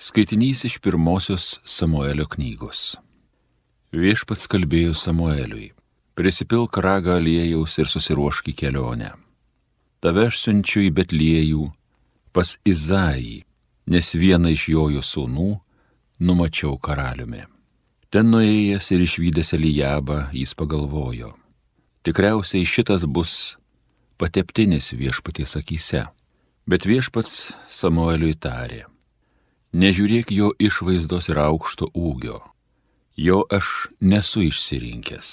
Skaitinys iš pirmosios Samuelio knygos. Viešpats kalbėjo Samueliui: prisipilk ragą aliejaus ir susiruošk į kelionę. Tave aš siunčiu į Betliejų pas Izaijį, nes vieną iš Jojo sūnų numačiau karaliumi. Ten nuėjęs ir išvydęs Elijabą, jis pagalvojo: tikriausiai šitas bus pateptinis viešpaties akyse. Bet viešpats Samueliui tarė: nežiūrėk jo išvaizdos ir aukšto ūgio, jo aš nesu išsirinkęs.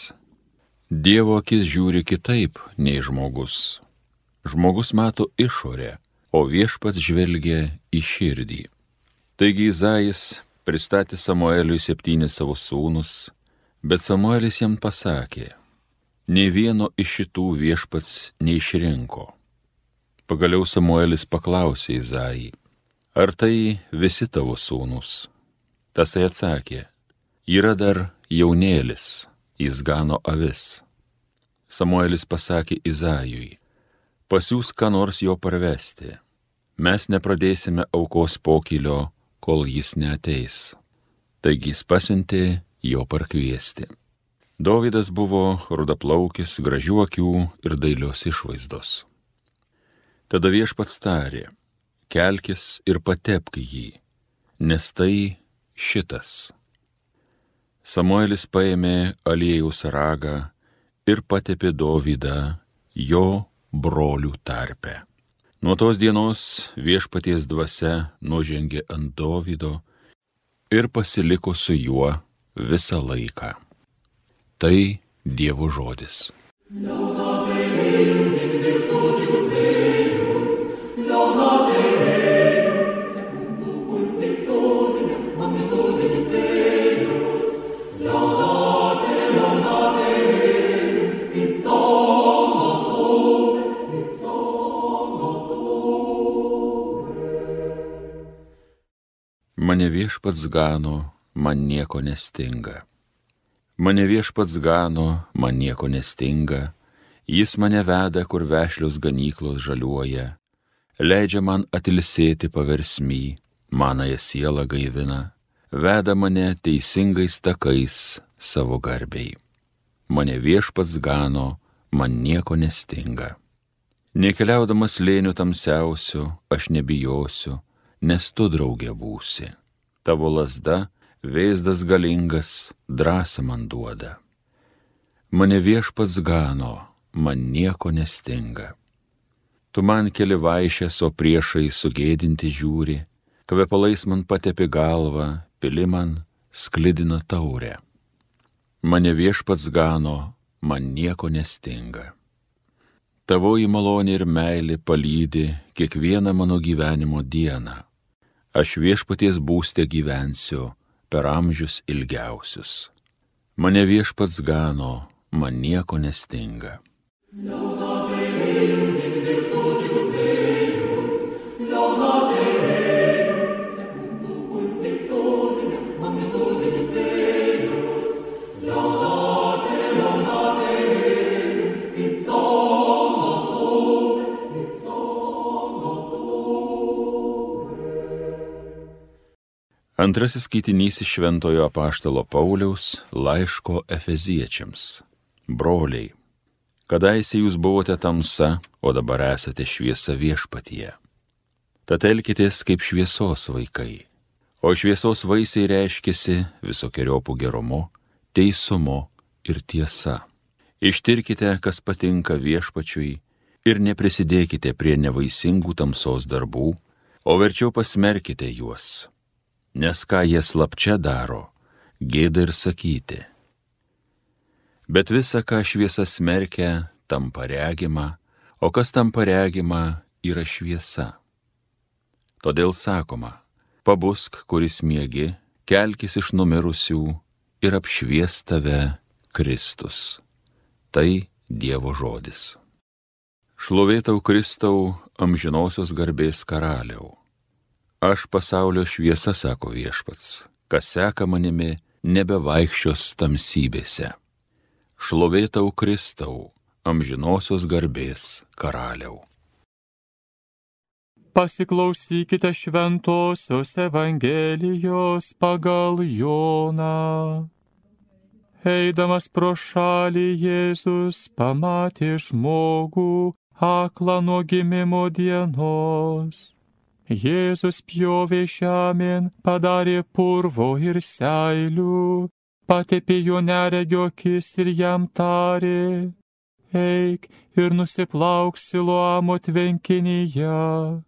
Dievo akis žiūri kitaip nei žmogus. Žmogus mato išorę, o viešpats žvelgia į širdį. Taigi Izajis pristatė Samueliui 7 savo sūnus, bet Samuelis jam pasakė: nei vieno iš šitų viešpats neišrinko. Pagaliau Samuelis paklausė Izajį: ar tai visi tavo sūnūs? Tasai atsakė: yra dar jaunėlis, jis gano avis. Samuelis pasakė Izajui: pasiųsk ką nors jo parvesti. Mes nepradėsime aukos pokylio, kol jis neateis. Taigi jis pasiuntė jo parkviesti. Dovydas buvo rudaplaukis, gražių akių ir dailios išvaizdos. Tada viešpats tarė: kelkis ir patepk jį, nes tai šitas. Samuelis paėmė aliejaus ragą ir patepė Dovydą jo brolių tarpe. Nuo tos dienos viešpaties dvasia nužengė ant Dovydo ir pasiliko su juo visą laiką. Tai Dievo žodis. Mane viešpats gano, man nieko nestinga. Mane viešpats gano, man nieko nestinga. Jis mane veda, kur vešlios ganyklos žaliuoja. Leidžia man atilsėti paversmy, manąją sielą gaivina. Veda mane teisingais takais savo garbei. Mane viešpats gano, man nieko nestinga. Nekeliaudamas slėniu tamsiausiu, aš nebijosiu, nes tu draugė būsi. Tavo lazda, vėzdas galingas, drąsą man duoda. Mane viešpats gano, man nieko nestinga. Tu man keli vaišes, o priešai sugėdinti žiūri, kvepalais man patepi galvą, pili man sklidina taurę. Mane viešpats gano, man nieko nestinga. Tavoji malonė ir meilė palydi kiekvieną mano gyvenimo dieną. Aš viešpaties būste gyvensiu per amžius ilgiausius. Mane viešpats gano, man nieko nestinga. Antrasis skaitinys iš Šventojo apaštalo Pauliaus laiško Efeziečiams. Broliai, kadaise jūs buvote tamsa, o dabar esate šviesa viešpatyje. Tad elkitės kaip šviesos vaikai, o šviesos vaisiai reiškiasi visokiojopų gerumu, teisumu ir tiesa. Ištirkite, kas patinka viešpačiui, ir neprisidėkite prie nevaisingų tamsos darbų, o verčiau pasmerkite juos. Nes ką jie slapčia daro, gėda ir sakyti. Bet visa, ką šviesa smerkia, tampa regima, o kas tampa regima, yra šviesa. Todėl sakoma: pabusk, kuris miegi, kelkis iš numirusių ir apšvies tave Kristus. Tai Dievo žodis. Šlovė tau, Kristau, amžinosios garbės karaliau. Aš pasaulio šviesa, sako viešpats, kas seka manimi, nebevaikščios tamsybėse. Šlovė tau, Kristau, amžinosios garbės karaliau. Pasiklausykite šventosios Evangelijos pagal Joną. Eidamas pro šalį Jėzus pamatė žmogų aklą nuo gimimo dienos. Jėzus pjovė žemėn, padarė purvo ir seilių, patepė jo neregio akis ir jam tarė: eik ir nusiplauk Siloamo tvenkinyje.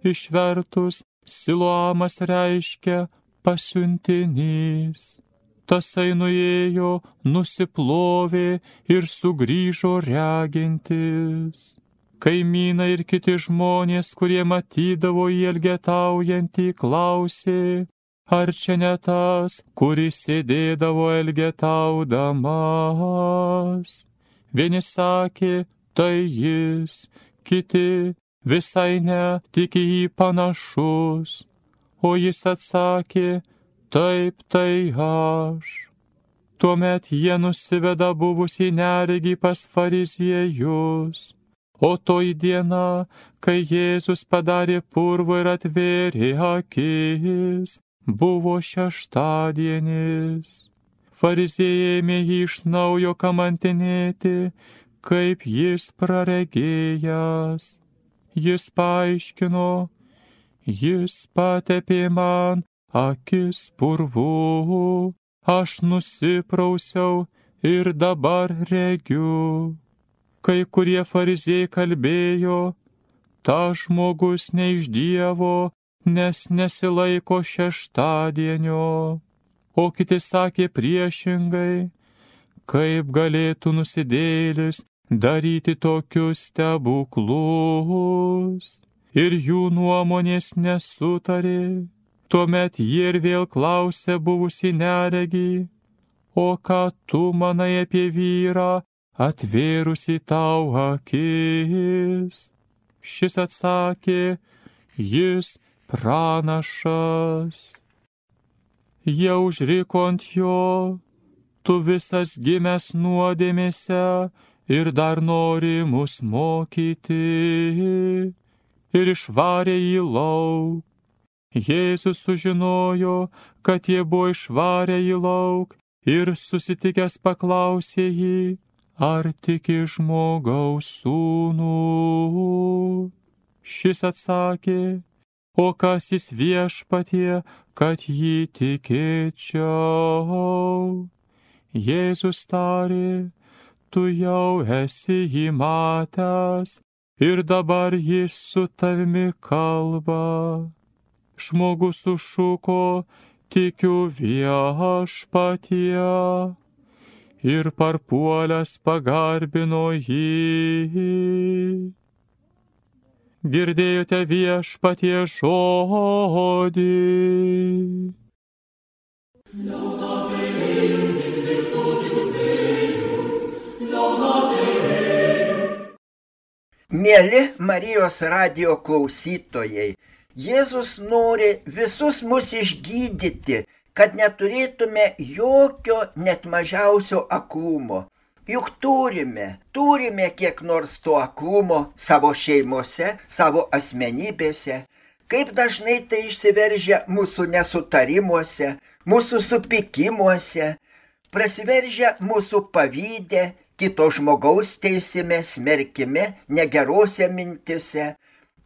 Išvertus, Siloamas reiškia pasiuntinys. Tasai nuėjo, nusiplovė ir sugrįžo regintis. Kaimynai ir kiti žmonės, kurie matydavo jį elgetaujantį, klausė: ar čia ne tas, kuris sėdėdavo elgetaudamas? Vieni sakė: tai jis, kiti: visai ne, tik į jį panašus. O jis atsakė: taip, tai aš. Tuomet jie nusiveda buvusį neregį pas fariziejus. O toji diena, kai Jėzus padarė purvo ir atvėrė akis, buvo šeštadienis. Fariziejai ėmė jį iš naujo kamantinėti, kaip jis praregėjęs. Jis paaiškino: jis patepė man akis purvu, aš nusiprausiau ir dabar regiu. Kai kurie fariziejai kalbėjo: tas žmogus ne iš Dievo, nes nesilaiko šeštadienio. O kiti sakė priešingai: kaip galėtų nusidėjėlis daryti tokius stebuklus? Ir jų nuomonės nesutarė. Tuomet jie ir vėl klausė buvusį neregį: o ką tu manai apie vyrą, atvėrusi tau akis? Šis atsakė: jis pranašas. Jie užriko ant jo: tu visas gimęs nuodėmėse ir dar nori mus mokyti. Ir išvarė jį lauk. Jėzus sužinojo, kad jie buvo išvarę jį lauk, ir susitikęs paklausė jį: ar tiki žmogaus sūnų? Šis atsakė: o kas jis Viešpatie, kad jį tikėčiau? Jėzus tarė: tu jau esi jį matęs, ir dabar jis su tavimi kalba. Žmogus sušuko: tikiu Viešpatie, ir parpuolęs pagarbino jį. Girdėjote Viešpatie žodį. Mieli Marijos radijo klausytojai, Jėzus nori visus mus išgydyti, kad neturėtume jokio net mažiausio aklumo. Juk turime kiek nors to aklumo savo šeimose, savo asmenybėse. Kaip dažnai tai išsiveržia mūsų nesutarimuose, mūsų supykimuose, prasiveržia mūsų pavyde, kito žmogaus teisime, smerkime, negerose mintise.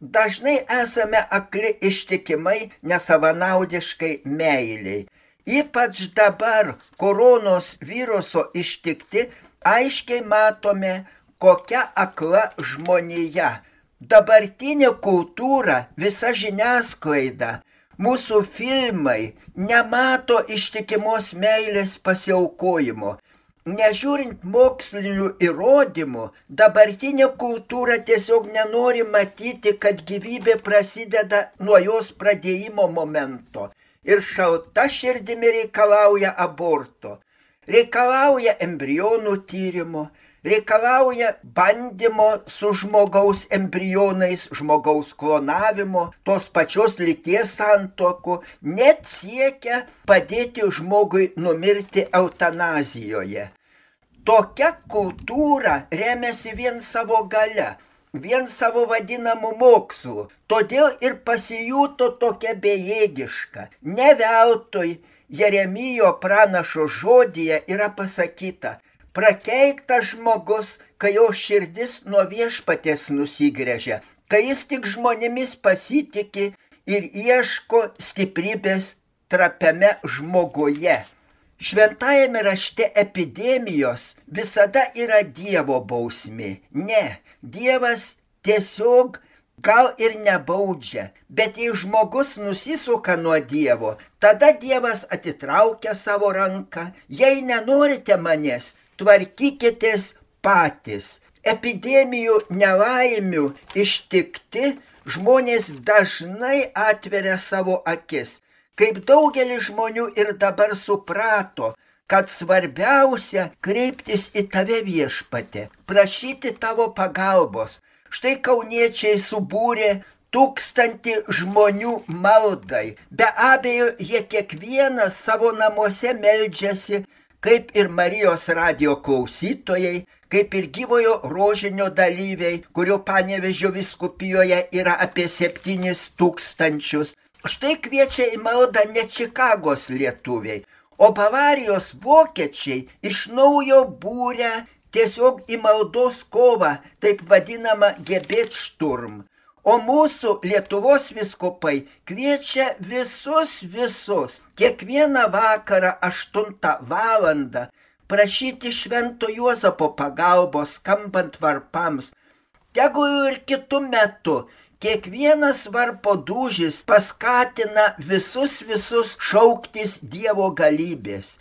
Dažnai esame akli ištikimai, nesavanaudiškai meiliai. Ypač dabar koronos viruso ištikti aiškiai matome, kokia akla žmonija. Dabartinė kultūra, visa žiniasklaida, mūsų filmai nemato ištikimos meilės pasiaukojimo. Nežiūrint mokslinių įrodymų, dabartinė kultūra tiesiog nenori matyti, kad gyvybė prasideda nuo jos pradėjimo momento ir šalta širdimi reikalauja aborto, reikalauja embrionų tyrimo, reikalauja bandymo su žmogaus embrionais, žmogaus klonavimo, tos pačios lyties santuokų, net siekia padėti žmogui numirti eutanazijoje. Tokia kultūra remiasi vien savo galia. vien savo vadinamų mokslų, todėl ir pasijuto tokia bejėgiška. Ne veltui Jeremijo pranašo žodyje yra pasakyta: prakeiktas žmogus, kai jo širdis nuo viešpaties nusigręžia, kai jis tik žmonėmis pasitiki ir ieško stiprybės trapiame žmoguje. Šventajame rašte epidemijos visada yra Dievo bausmė. Ne, Dievas tiesiog gal ir nebaudžia, bet jei žmogus nusisuka nuo Dievo, tada Dievas atitraukia savo ranką: jei nenorite manęs, tvarkykitės patys. Epidemijų nelaimių ištikti žmonės dažnai atveria savo akis. Kaip daugelis žmonių ir dabar suprato, kad svarbiausia kreiptis į tave, Viešpatie, prašyti tavo pagalbos. Štai kauniečiai subūrė 1000 žmonių maldai. Be abejo, jie kiekvienas savo namuose meldžiasi, kaip ir Marijos radijo klausytojai, kaip ir gyvojo rožinio dalyviai, kurio Panevėžio vyskupijoje yra apie 7000. Štai kviečia į maldą ne Čikagos lietuviai, o Bavarijos vokiečiai iš naujo būrė tiesiog į maldos kovą, taip vadinamą Gebetsturm. O mūsų Lietuvos vyskupai kviečia visus, kiekvieną vakarą 8 valandą prašyti Švento Juozapo pagalbos skambant varpams. Tegul ir kitų metų kiekvienas varpo dūžis paskatina visus šauktis Dievo galybės.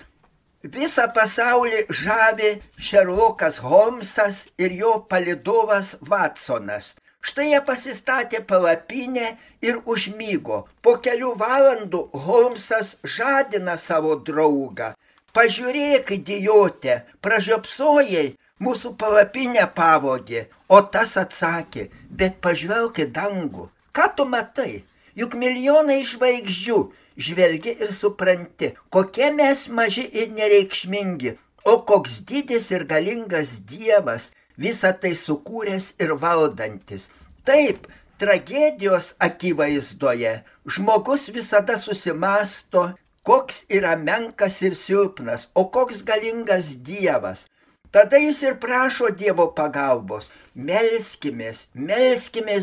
Visą pasaulį žavi Šerlokas Holmsas ir jo palydovas Watsonas. Štai jie pasistatė palapinę ir užmygo. Po kelių valandų Holmsas žadina savo draugą: pažiūrėk, idiotė, pražiopsojai, mūsų palapinę pavogė. O tas atsakė: bet pažvelk į dangų. Ką tu matai? Juk milijonai žvaigždžių. Žvelgi ir supranti, kokie mes maži ir nereikšmingi, o koks didis ir galingas Dievas, visą tai sukūręs ir valdantis. Taip, tragedijos akivaizdoje žmogus visada susimąsto, koks yra menkas ir silpnas, o koks galingas Dievas. Tada jis ir prašo Dievo pagalbos. Melskimės,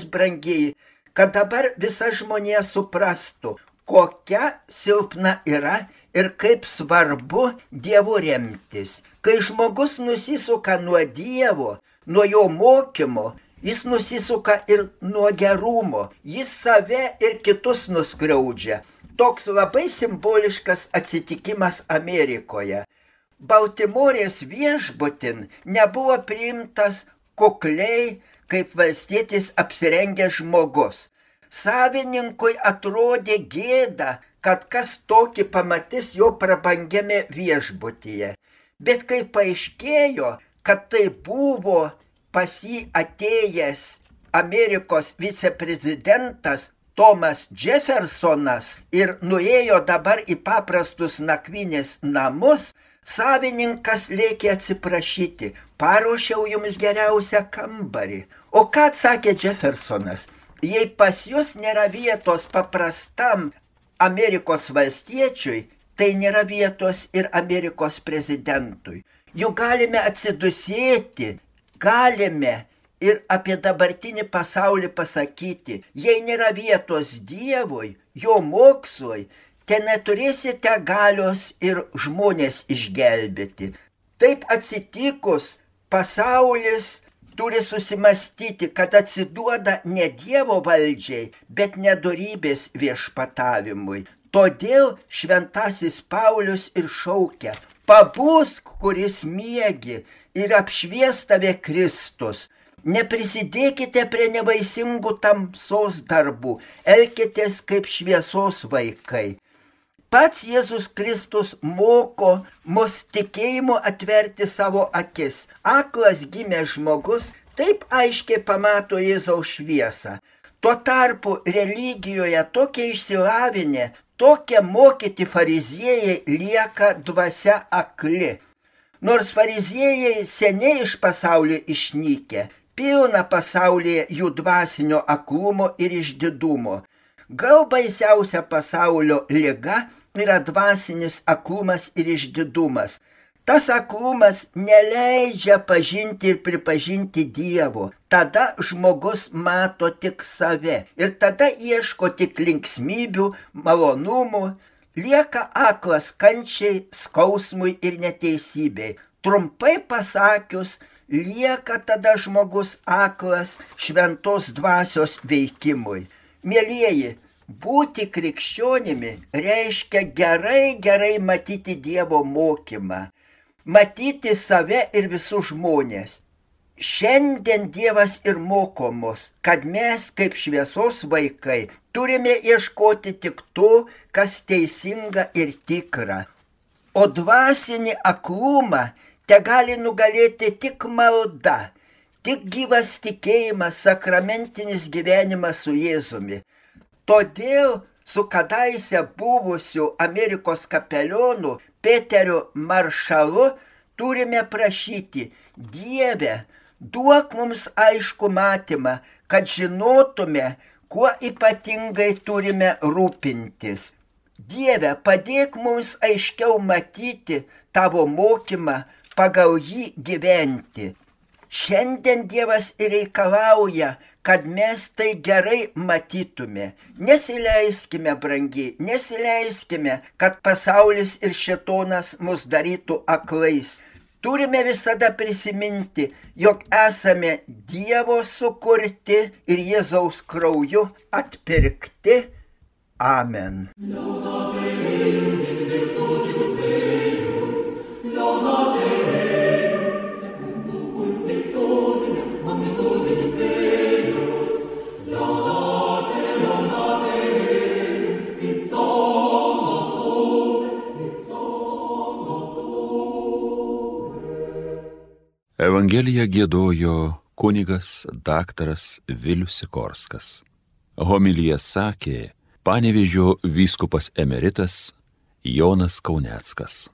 brangieji, kad dabar visa žmonija suprastų, kokia silpna yra ir kaip svarbu Dievu remtis. Kai žmogus nusisuka nuo Dievo, nuo jo mokymo, jis nusisuka ir nuo gerumo, jis save ir kitus nuskriaudžia. Toks labai simboliškas atsitikimas Amerikoje. Baltimorės viešbutin nebuvo priimtas kukliai kaip valstietis apsirengęs žmogus. Savininkui atrodė gėda, kad kas tokį pamatys jo prabangiame viešbutyje. Bet kai paaiškėjo, kad tai buvo pas jį atėjęs Amerikos viceprezidentas Thomas Jeffersonas ir nuėjo dabar į paprastus nakvynės namus, savininkas lėkė atsiprašyti: paruošiau jums geriausią kambarį. O ką atsakė Jeffersonas? Jei pas jūs nėra vietos paprastam Amerikos valstiečiui, tai nėra vietos ir Amerikos prezidentui. Juk galime atsidusėti, galime ir apie dabartinį pasaulį pasakyti: jei nėra vietos Dievui, jo mokslui, te neturėsite galios ir žmonės išgelbėti. Taip atsitikus, pasaulis turi susimastyti, kad atsiduoda ne Dievo valdžiai, bet nedorybės viešpatavimui. Todėl šventasis Paulius ir šaukia: pabusk, kuris miegi, ir apšvies tave Kristus. Neprisidėkite prie nevaisingų tamsos darbų, elkitės kaip šviesos vaikai. Pats Jėzus Kristus moko mus tikėjimu atverti savo akis. Aklas gimęs žmogus taip aiškiai pamato Jėzaus šviesą. Tuo tarpu religijoje tokie išsilavinę, tokie mokyti fariziejai lieka dvasia akli. Nors fariziejai seniai iš pasaulio išnykę, pilna pasaulyje jų dvasinio aklumo ir išdidumo. Gal baisiausia pasaulio liga yra dvasinis aklumas ir išdidumas. Tas aklumas neleidžia pažinti ir pripažinti Dievo. Tada žmogus mato tik save ir tada ieško tik linksmybių, malonumų, lieka aklas kančiai, skausmui ir neteisybei. Trumpai pasakius, lieka tada žmogus aklas šventos dvasios veikimui. Mielieji, būti krikščionimi reiškia gerai matyti Dievo mokymą. Matyti save ir visus žmonės. Šiandien Dievas ir moko mus, kad mes kaip šviesos vaikai turime ieškoti tik to, kas teisinga ir tikra. O dvasinį aklumą tegali nugalėti tik malda, tik gyvas tikėjimas, sakramentinis gyvenimas su Jėzumi. Todėl su kadaise buvusiu Amerikos kapelionu Peteriu Maršalu turime prašyti: Dieve, duok mums aišku matymą, kad žinotume, kuo ypatingai turime rūpintis. Dieve, padėk mums aiškiau matyti tavo mokymą, pagal jį gyventi. Šiandien Dievas ir reikalauja, kad mes tai gerai matytume. Nesileiskime, brangiai, nesileiskime, kad pasaulis ir šėtonas mus darytų aklais. Turime visada prisiminti, jog esame Dievo sukurti ir Jėzaus krauju atpirkti. Amen. Evangeliją giedojo kunigas daktaras Vilius Sikorskas. Homiliją sakė Panevėžio vyskupas emeritas Jonas Kauneckas.